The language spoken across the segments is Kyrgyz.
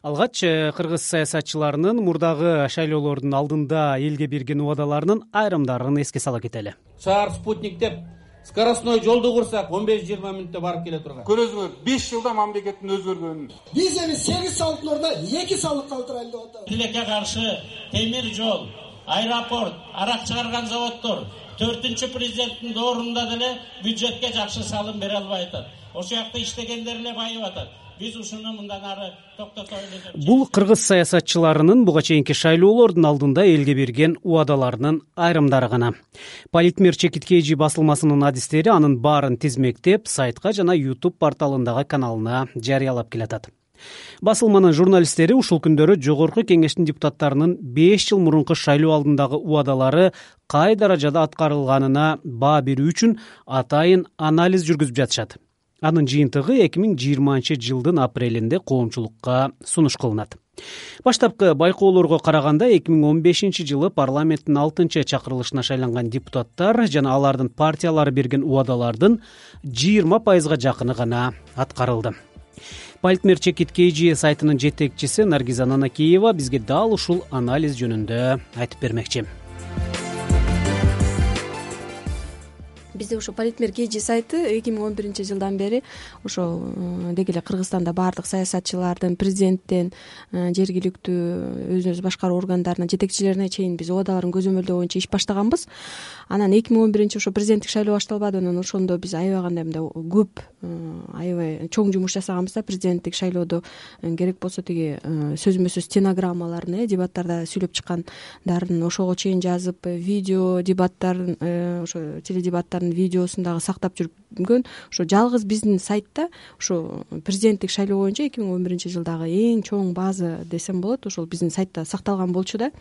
Алгач кыргыз саясатчыларынын мурдагы шайлоолордун алдында элге берген убадаларынын айрымдарын эске сала кетели. Шаар спутник деп скоростной жолду курсак 15-20 мүнөттө барып келе турган. Көрөсүңөр 5 жылда мамлекеттин өзгөргөнүн. Биз эми 8 салыктарда 2 салык калтырайлы деп атабыз. Тилекке каршы темир жол, аэропорт, арак чыгарган заводдор 4-президенттин доорунда деле бюджетке жакшы салым бере албай атат. Ошол жакта иштегендер эле байып атат. Биз ушуну мындан ары токтотойлу деп. Бул кыргыз саясатчыларынын буга чейинки шайлоолордун алдында элге берген убадаларынын айрымдары гана. Политмер Чекиткейжи басылмасынын адистери анын баарын тизмектеп, сайтка жана YouTube порталындагы каналына жарыялап келатат. Басылманын журналисттери ушул күндөрү Жогорку Кеңештин депутаттарынын 5 жыл мурунку шайлоо алдындагы убадалары кай даражада аткарылганына баа берүү үчүн атайын анализ жүргүзүп жатышат. Анын жыйынтыгы 2020-жылдын апрелинде коомчулукка сунуш кылынат. Баштапкы байкоолорго караганда 2015-жылы парламенттин 6-чакырылышына шайланган депутаттар жана алардын партиялары берген убадалардын 20% жакыны гана аткарылды. Политмер Чекиткейжи сайтынын жетекчиси Наргиза Нанакеева бизге дал ушул анализ жөнүндө айтып бермекчи. Бизде ошо Политмер KG сайты 2011-жылдан бери ошо деги эле Кыргызстанда баардык саясатчылардын, президенттен, жергиликтүү өзүн башкаруу органдарынын жетекчилерине чейин биз убадаларын көзөмөлдөө боюнча иш баштаганбыз. Анан 2011 ошо президенттик шайлоо башталбады, анан ошондо биз аябагандай мындай көп аябай чоң жумуш жасаганбыз да. Президенттик шайлоодо керек болсо тиги сөзмө сөз стенограммаларын, дебаттарда сүйлөп чыккандарын ошого чейин жазып, видео дебаттарын, ошо теледебаттардын видеосун дагы сактап жүргөн ошо жалгыз биздин сайтта ошо президенттик шайлоо боюнча 2011-жылдагы эң чоң база десем болот, ошол биздин сайтта сакталган болчу да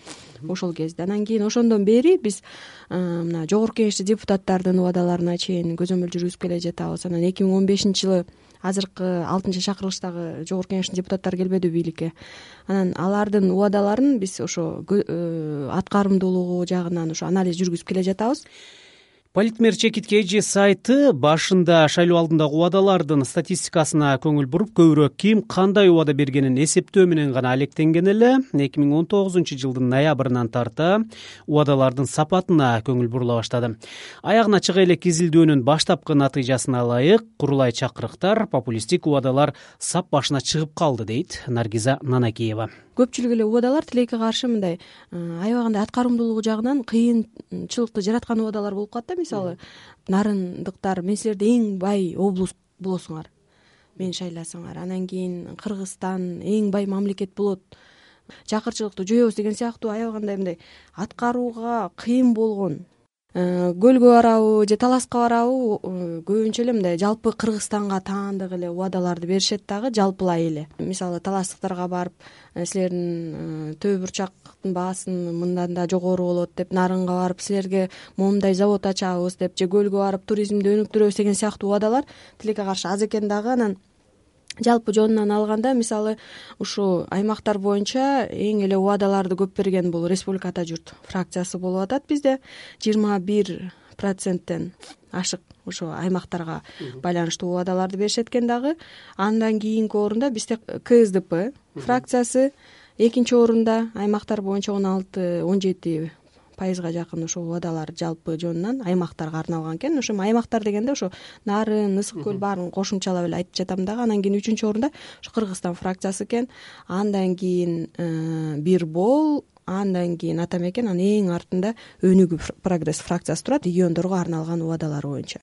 ошол кезде. Анан кийин ошондон бери биз мына Жогорку Кеңеште депутаттардын убадаларына чейин көзөмөл жүргүзүп келе жатабыз. Анан 2015-жылы азыркы 6-чакырылыштагы Жогорку Кеңештин депутаттары келбеди бийликке. Анан алардын убадаларын биз ошо аткарымдуулугу жагынан ошо анализ жүргүзүп келе жатабыз. Политмер Чекиткейжи сайты башында шайлоо алдындагы убадалардын статистикасына көңүл буруп, көбүрөөк ким кандай убада бергенин эсептөө менен гана алектенген эле 2019-жылдын ноябрынан тарта убадалардын сапатына көңүл бурула баштады. Аягына чыга элек изилдөөнүн баштапкы натыйжасына ылайык курулай чакырыктар, популисттик убадалар сап башына чыгып калды, дейт Наргиза Нанакеева. Көпчүлүк эле убадалар тилекке каршы мындай аябагандай аткарымдуулугу жагынан кыйынчылыкты жараткан убадалар болуп калат да. Мисалы, нарындыктар, мен силерде эң бай облус болосуңар, мени шайласаңар, анан кийин Кыргызстан эң бай мамлекет болот, жакырчылыкты жоебуз деген сыяктуу аябагандай мындай аткарууга кыйын болгон, көлгө барабы же таласка барабы көбүнчө эле мындай жалпы Кыргызстанга таандык эле убадаларды беришет дагы, жалпылай эле. Мисалы, таластыктарга барып, силердин төө бурчактын баасын мындан да жогору болот деп, нарынга барып силерге момундай завод ачабыз деп, же көлгө барып туризмди өнүктүрөбүз деген сыяктуу убадалар тилекке каршы аз экен дагы. Анан жалпы жонунан алганда, мисалы, ушу аймактар боюнча эң эле убадаларды көп берген бул Республика Ата журт фракциясы болуп атат. Бизде 21%тен ашык ошо аймактарга байланыштуу убадаларды беришет экен дагы. Андан кийинки орунда бизде КСДП фракциясы, экинчи орунда аймактар боюнча 16-17% жакын ошо убадалар жалпы жонунан аймактарга арналган экен. Ошо аймактар дегенде ошо Нарын, Ысык көл баарын кошумчалап эле айтып жатам дагы. Анан кийин 3-чү орунда ошо Кыргызстан фракциясы экен. Андан кийин Бир Бол, андан кийин Ата Мекен, анан эң артында Өнүгүү прогресс фракциясы турат, региондорго арналган убадалар боюнча.